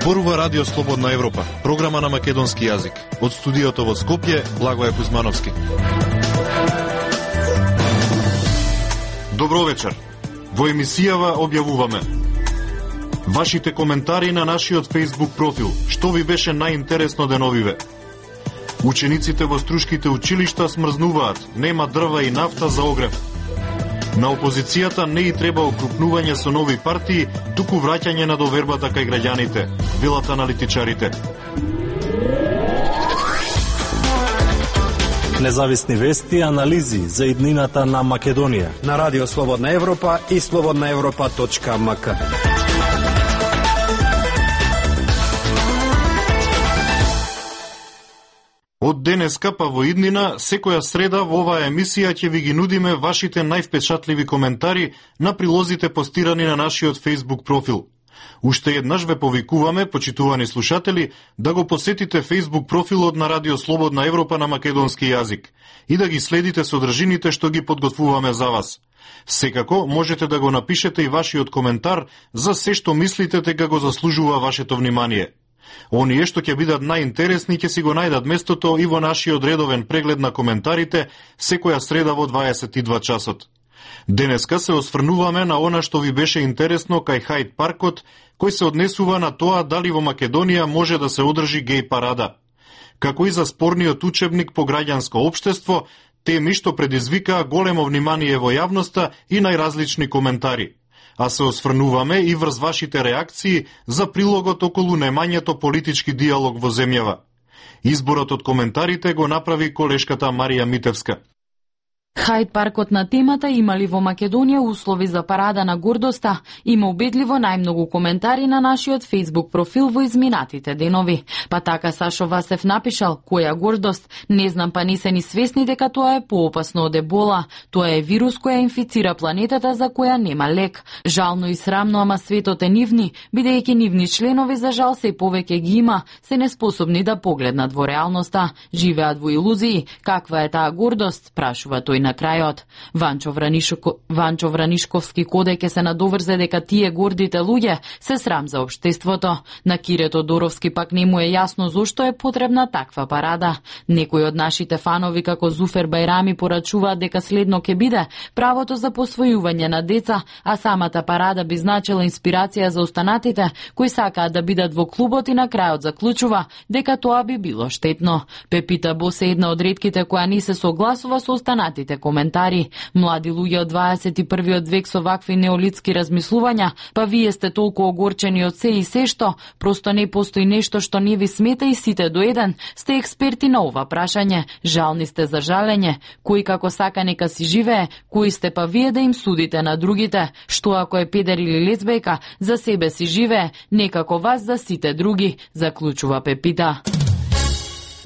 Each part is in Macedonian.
Зборува Радио Слободна Европа, програма на македонски јазик. Од студиото во Скопје, Благоје Кузмановски. Добро вечер. Во емисијава објавуваме вашите коментари на нашиот Facebook профил. Што ви беше најинтересно деновиве? Учениците во струшките училишта смрзнуваат, нема дрва и нафта за огрев. На опозицијата не и треба окрупнување со нови партии, туку враќање на довербата кај граѓаните, велат аналитичарите. Независни вести и анализи за иднината на Македонија. На Радио Слободна Европа и slobodnaevropa.mk. Од денеска па во иднина, секоја среда во оваа емисија ќе ви ги нудиме вашите највпечатливи коментари на прилозите постирани на нашиот Facebook профил. Уште еднаш ве повикуваме, почитувани слушатели, да го посетите Facebook профилот на Радио Слободна Европа на македонски јазик и да ги следите содржините што ги подготвуваме за вас. Секако, можете да го напишете и вашиот коментар за се што мислите дека го заслужува вашето внимание. Оние што ќе бидат најинтересни ќе си го најдат местото и во нашиот редовен преглед на коментарите секоја среда во 22 часот. Денеска се осврнуваме на она што ви беше интересно кај Хајд паркот, кој се однесува на тоа дали во Македонија може да се одржи геј парада. Како и за спорниот учебник по граѓанско општество, теми што предизвикаа големо внимание во јавноста и најразлични коментари. А се осврнуваме и врз вашите реакции за прилогот околу немањето политички диалог во земјава. Изборот од коментарите го направи колешката Марија Митевска. Хајд паркот на темата имали во Македонија услови за парада на гордоста, има убедливо најмногу коментари на нашиот Facebook профил во изминатите денови. Па така Сашо Васев напишал: која гордост, не знам, па не се ни свесни дека тоа е поопасно од ебола. Тоа е вирус која инфицира планетата за која нема лек. Жално и срамно, ама светот е нивни, бидејќи нивни членови за жал се повеќе ги има, се неспособни да погледнат во реалноста, живеат во илузии. Каква е таа гордост, прашува тој на крајот. Ванчо Вранишковски коде ќе се надоврзе дека тие гордите луѓе се срам за општеството. На Кире Тодоровски пак не му е јасно зошто е потребна таква парада. Некои од нашите фанови како Зуфер Бајрами порачуваат дека следно ќе биде правото за посвојување на деца, а самата парада би значила инспирација за останатите кои сакаат да бидат во клубот и на крајот заклучува дека тоа би било штетно. Пепита Бос е една од ретките која не се согласува со останатите коментари. Млади луѓе од 21. век со вакви неолитски размислувања, па вие сте толку огорчени од се и се што, просто не постои нешто што не ви смета и сите до еден сте експерти на ова прашање. Жални сте за жалење, кој како сака нека си живее, кои сте па вие да им судите на другите, што ако е педер или лесбејка, за себе си живее, некако вас за сите други, заклучува Пепита.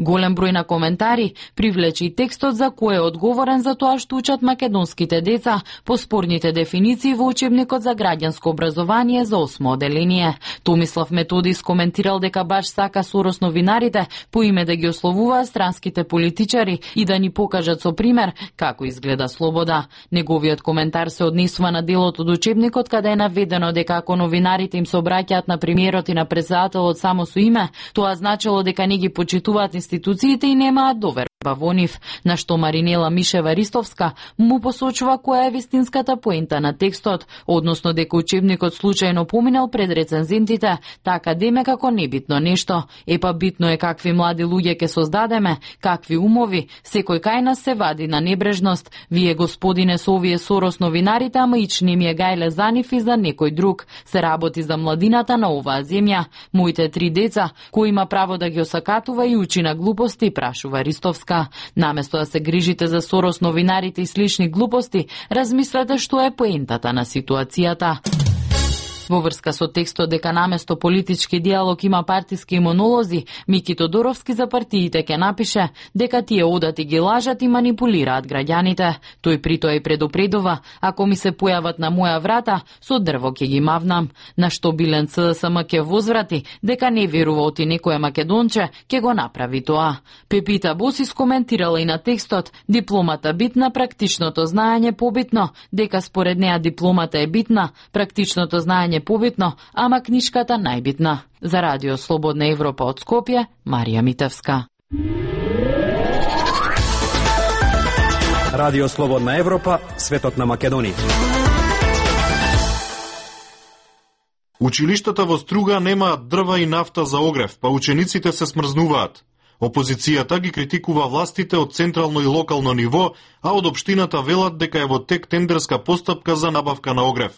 Голем број на коментари привлече и текстот за кој е одговорен за тоа што учат македонските деца по спорните дефиниции во учебникот за граѓанско образование за 8 оделение. Томислав Методи скоментирал дека баш сака Сорос новинарите по име да ги ословуваат странските политичари и да ни покажат со пример како изгледа слобода. Неговиот коментар се однесува на делот од учебникот каде е наведено дека ако новинарите им се обраќаат на премиерот и на председателот само со име, тоа значило дека не ги почитуваат институциите и немаат доверба во нив, на што Маринела Мишева-Ристовска му посочува која е вистинската поента на текстот, односно дека учебникот случајно поминал пред рецензентите, така деме како небитно нешто. Епа битно е какви млади луѓе ќе создадеме, какви умови, секој кај нас се вади на небрежност. Вие, господине, со овие Сорос новинарите, ама ични ми е гајле за нив и за некој друг. Се работи за младината на оваа земја. Моите 3 деца, кој има право да ги осакатува и учи на глупости, прашува Ристовска. Наместо да се грижите за Сорос новинарите и слични глупости, размислете што е поентата на ситуацијата. Во врска со текстот дека наместо политички диалог има партиски имунолози, Мики Тодоровски за партиите ќе напише дека тие одат и ги лажат и манипулираат граѓаните. Тој притоа и предупредува: ако ми се појават на моја врата, со дрво ќе ги мавнам. На што Билен ЦДСМ ќе возврати дека не верува оти некој македонче ќе го направи тоа. Пепита Бос искоментирала и на текстот: дипломата битна, практичното знаење побитно, дека според неа дипломата е битна, практичното знаење е побитно, ама книшката најбитна. За Радио Слободна Европа од Скопје, Марија Митевска. Радио Слободна Европа, светот на Македонија. Училиштата во Струга немаат дрва и нафта за огрев, па учениците се смрзнуваат. Опозицијата ги критикува властите од централно и локално ниво, а од општината велат дека е во тек тендерска постапка за набавка на огрев.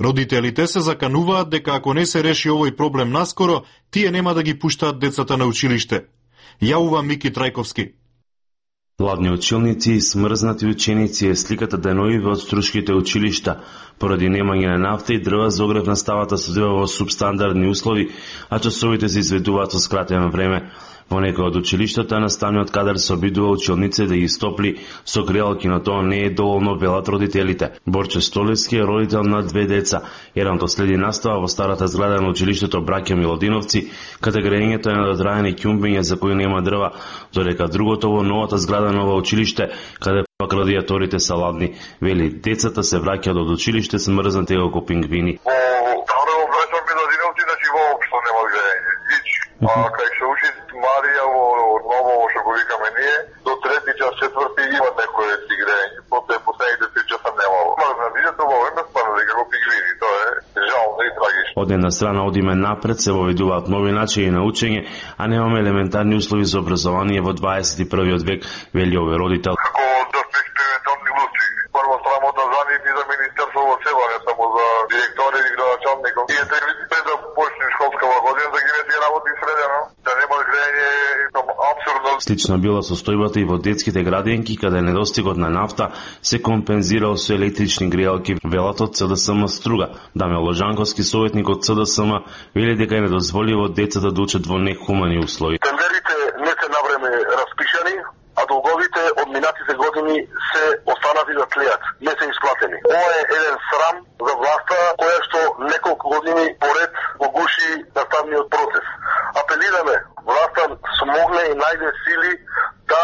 Родителите се закануваат дека ако не се реши овој проблем наскоро, тие нема да ги пуштаат децата на училиште. Јавува Мики Трајковски. Ладни училници и смрзнати ученици е сликата деновиве од струшките училишта. Поради немање на нафта и дрва за огрев наставата се одвива во субстандардни услови, а часовите се изведуваат со скратено време. Во некој од училиштата наставниот кадар се обидува учениците да ги стопли со греалки, но тоа не е доволно, велат родителите. Борче Столевски е родител на 2 деца. Едното следи настава во старата зграда на училиштето Браќа Милодиновци, каде грејењето е надодраени ќумбиња за кои нема дрва, додека другото во новата зграда на ова училиште, каде пак радиаторите се ладни. Вели, децата се враќаат од училиште смрзнати како пингвини. А кај се учи Марија во ново што го викаме ние, до 3 час, 4 има некој си грејање, последните 3 часа немало. Мрзнатите во време спадат како пингвини, тоа е жално и трагично. Од една страна одиме напред, се воведуваат нови начини на учење, а немаме елементарни услови за образование во 21 век, вели овој родител. Како да се експериментални глупци. Прво срамота за нив и за министерство во себе, не само за директори и градоначалников. И пред да почне школска година да ги вети работи средено, да нема грејање и тоа апсурдно. Слично била состојбата и во детските градинки, каде недостигот на нафта се компензирал со електрични грејалки, велат од ЦДСМ Струга. Даме Ложанковски, советник од ЦДСМ, вели дека е недозволиво децата да учат во нехумани услови. Тендерите не се навреме распишани, а долговите од минатите години се останати да тлеат, не се исплатени. Ова е еден срам за власта, која што неколку години поред го гуши наставниот процес. Апелираме, власта смогне и најде сили да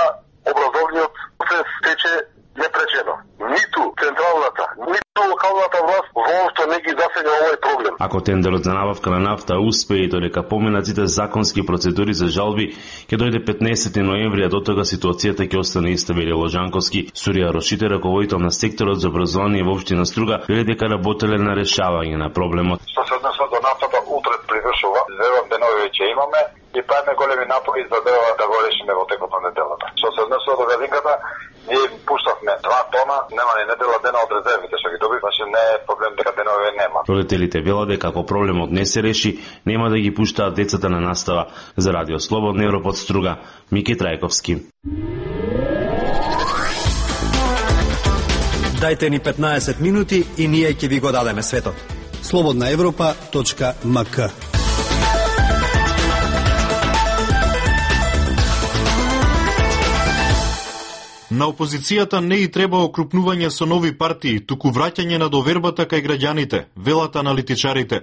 образовниот процес тече непречено. Ниту централната, ниту локалната власт воопшто не ги засега овој проблем. Ако тендерот за набавка на нафта успее и додека поминат сите законски процедури за жалби, ќе дојде 15 ноември, а до тога ситуацијата ќе остане иста, вели Ложанковски. Сурија Рошите, раководител на секторот за образование во општина Струга, вели дека работеле на решавање на проблемот. Што се однесува до нафтата, утре привршува. Верувам денови веќе имаме и правиме големи напори за да го решиме во текот на неделата. Што се однесува до газинката, ние пуштавме 2 тона, нема ни недела дена од резервите што ги доби, значи не е проблем дека денови нема. Родителите велат дека ако проблемот не се реши, нема да ги пуштаат децата на настава. За Радио Слободна Европа од Струга, Мики Трајковски. Дајте ни 15 минути и ние ќе ви го дадеме светот. slobodnaevropa.mk. На опозицијата не и треба окрупнување со нови партии, туку враќање на довербата кај граѓаните, велат аналитичарите.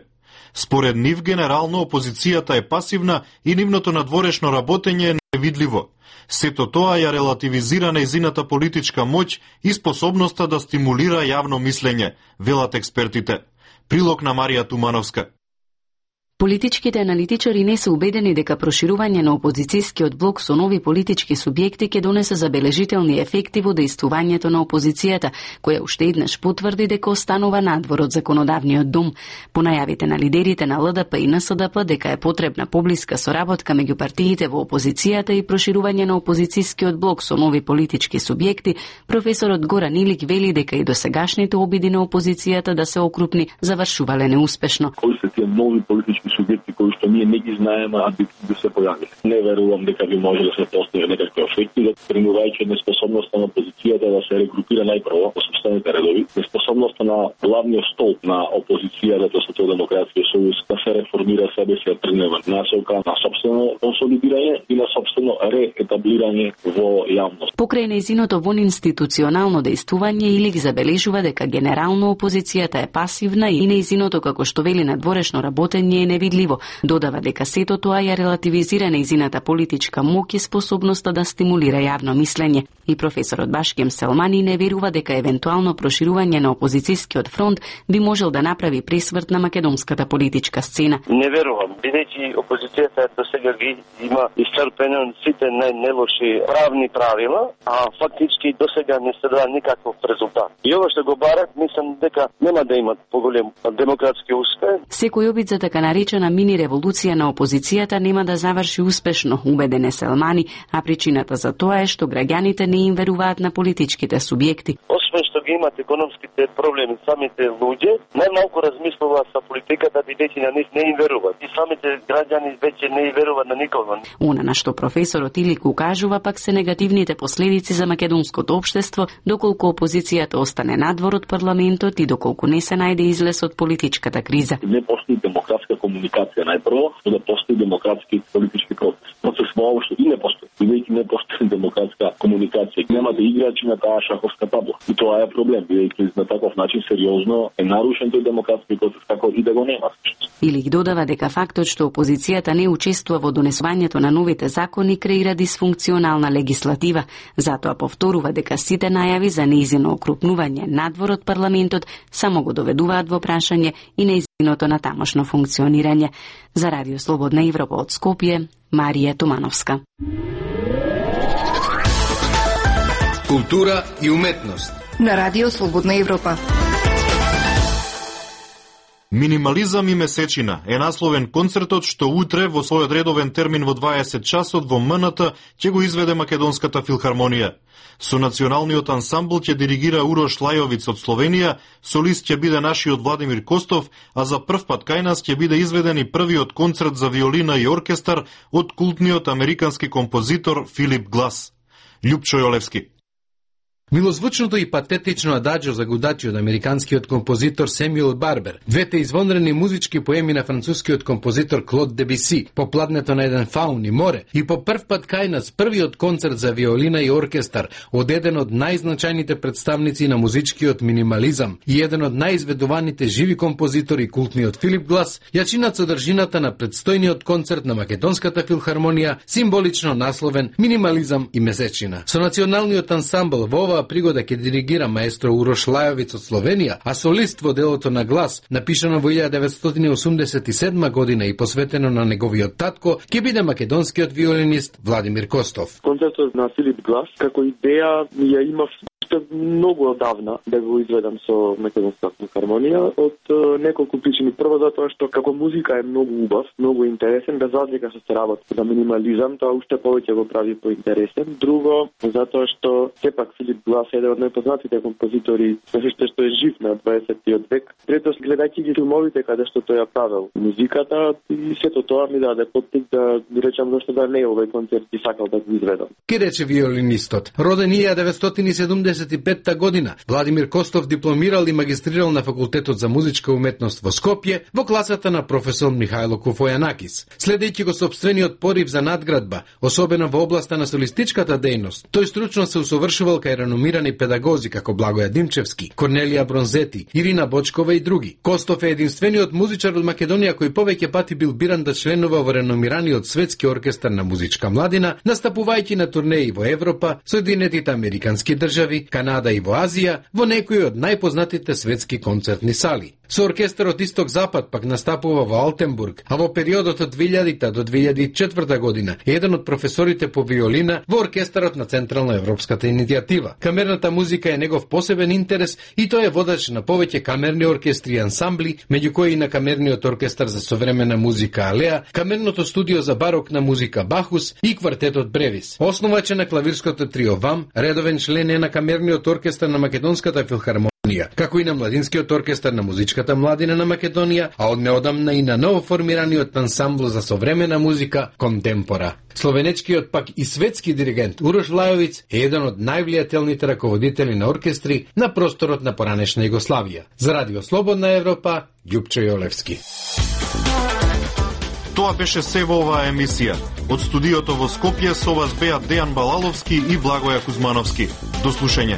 Според нив, генерално опозицијата е пасивна и нивното надворешно работење е невидливо. Сето тоа ја релативизира нејзината политичка моќ и способноста да стимулира јавно мислење, велат експертите. Прилог на Марија Тумановска. Политичките аналитичари не се убедени дека проширување на опозицијскиот блок со нови политички субјекти ќе донесе забележителни ефекти во дејствувањето на опозицијата, која уште еднаш потврди дека останува надвор од законодавниот дом. По најавите на лидерите на ЛДП и НСДП дека е потребна поблиска соработка меѓу партиите во опозицијата и проширување на опозицијскиот блок со нови политички субјекти, професорот Горан Илик вели дека и досегашните обиди на опозицијата да се окрупни завршувале неуспешно. Кои се тие нови политички субјекти кои што ние не ги знаеме, а би се појавиле? Не верувам дека би може да се постигне некакви ефекти, примувајќи неспособноста на опозицијата да се регрупира најпрво во собствените редови, неспособноста на главниот столб на опозицијата, Социјалдемократскиот сојуз, да се реформира себе си тргнува насока на собствено консолидирање и на собствено реетаблирање во јавност. Покрај нејзиното вонинституционално дејствување, Илик забележува дека генерално опозицијата е пасивна и нејзиното, како што вели, надворешно работење е невидливо. Додава дека сето тоа ја релативизира нејзината политичка моќ и способноста да стимулира јавно мислење. И професорот Башкем Селмани не верува дека евентуално проширување на опозицијскиот фронт би можел да направи пресврт на македонската политичка сцена. Не верувам, бидејќи опозицијата до сега ги има исцрпено сите најнелоши правни правила, а фактички до сега не се дава никаков резултат. И ова што го барат, мислам дека нема да имат поголем демократски успех. Секој обид за така наречена мини револуција на опозицијата нема да заврши успешно, убеден е Селмани, а причината за тоа е што граѓаните не им веруваат на политичките субјекти. Освен што ги имат економските проблеми, самите луѓе најмалку размислуваат за политиката, бидејќи на нив не им веруваат. И самите граѓани веќе не им веруваат на никого. Она на што професорот Илик укажува пак се негативните последици за македонското општество, доколку опозицијата остане надвор од парламентот и доколку не се најде излез од политичката криза. Не постои демократска комуникација најпрво, но да постои демократски политички процес. Процес воопшто и не постои. Бидејќи не постои демократска комуникација, немате играчи на таа шаховска табла. И тоа е проблем, бидејќи на таков начин сериозно е нарушен тој демократски процес, како и да го нема. Илик додава дека фактот што опозицијата не учествува во донесувањето на новите закони креира дисфункционална легислатива, затоа повторува дека сите најави за нејзино окрупнување надвор од парламентот само го доведуваат во прашање и нејзиното на тамошно функционирање. За Радио Слободна Европа од Скопје, Марија Тумановска. Култура и уметност на Радио Слободна Европа. Минимализам и месечина е насловен концертот што утре во својот редовен термин во 20 часот во МНТ ќе го изведе Македонската филхармонија. Со националниот ансамбл ќе диригира Урош Лајовиц од Словенија, солист ќе биде нашиот Владимир Костов, а за прв пат кај нас ќе биде изведен и првиот концерт за виолина и оркестар од култниот американски композитор Филип Глас. Љупчо Јолевски. Милозвучното и патетично ададжо за гудачи од американскиот композитор Семјуел Барбер, двете извонредни музички поеми на францускиот композитор Клод Дебиси, по пладнето на еден фаун и море, и по прв пат кај нас првиот концерт за виолина и оркестар од еден од најзначајните представници на музичкиот минимализам и еден од најизведуваните живи композитори култниот Филип Глас, ја чинат содржината на предстојниот концерт на Македонската филхармонија, символично насловен Минимализам и месечина. Со националниот ансамбл во оваа пригода ќе диригира маестро Урош Лајовиц од Словенија, а солист во делото на Глас, напишано во 1987 година и посветено на неговиот татко, ќе биде македонскиот виолинист Владимир Костов. Концертот на Филип Глас како идеја ја имав многу одавна да го изведам со Македонската филхармонија од неколку причини. Прво затоа што како музика е многу убав, многу интересен, без разлика што се работи за минимализам, тоа уште повеќе го прави поинтересен. Друго, затоа што сепак Филип Глас е еден од најпознатите композитори што е жив на 20-тиот век. Трето, гледајќи ги филмовите каде што тој ја правел музиката и сето тоа ми даде поттик да речам зашто да не овој концерт и сакал да го изведам. Ке рече виолинистот. Роден 1975 година, Владимир Костов дипломирал и магистрирал на факултетот за музичка уметност во Скопје во класата на професор Михајло Кофојанакис. Следејќи го сопствениот порив за надградба, особено во областа на солистичката дејност, тој стручно се усовршувал кај реномирани педагози како Благоја Димчевски, Корнелија Бронзети, Ирина Бочкова и други. Костов е единствениот музичар од Македонија кој повеќе пати бил биран да членува во реномираниот светски оркестар на музичка младина, настапувајќи на турнеи во Европа, Соединетите американски држави, Канада и во Азија, во некои од најпознатите светски концертни сали. Со оркестарот Исток-Запад пак настапува во Алтенбург, а во периодот од 2000 до 2004 година е еден од професорите по виолина во оркестарот на Централна европската иницијатива. Камерната музика е негов посебен интерес и тој е водач на повеќе камерни оркестри и ансамбли, меѓу кои и на камерниот оркестар за современа музика Алеа, камерното студио за барокна музика Бахус и квартетот Бревис. Основач е на клавирското трио ВАМ, редовен член е на камерниот оркестар на Македонската филхармонија, како и на младинскиот оркестар на музичката младина на Македонија, а од неодамна и на новоформираниот ансамбл за современа музика Контемпора. Словенечкиот пак и светски диригент Урош Лајовиц е еден од највлијателните раководители на оркестри на просторот на поранешна Југославија. За Радио Слободна Европа, Љупчо Јолевски. Тоа беше се во оваа емисија. Од студиото во Скопје со вас беа Дејан Балаловски и Благоја Кузмановски. До слушање.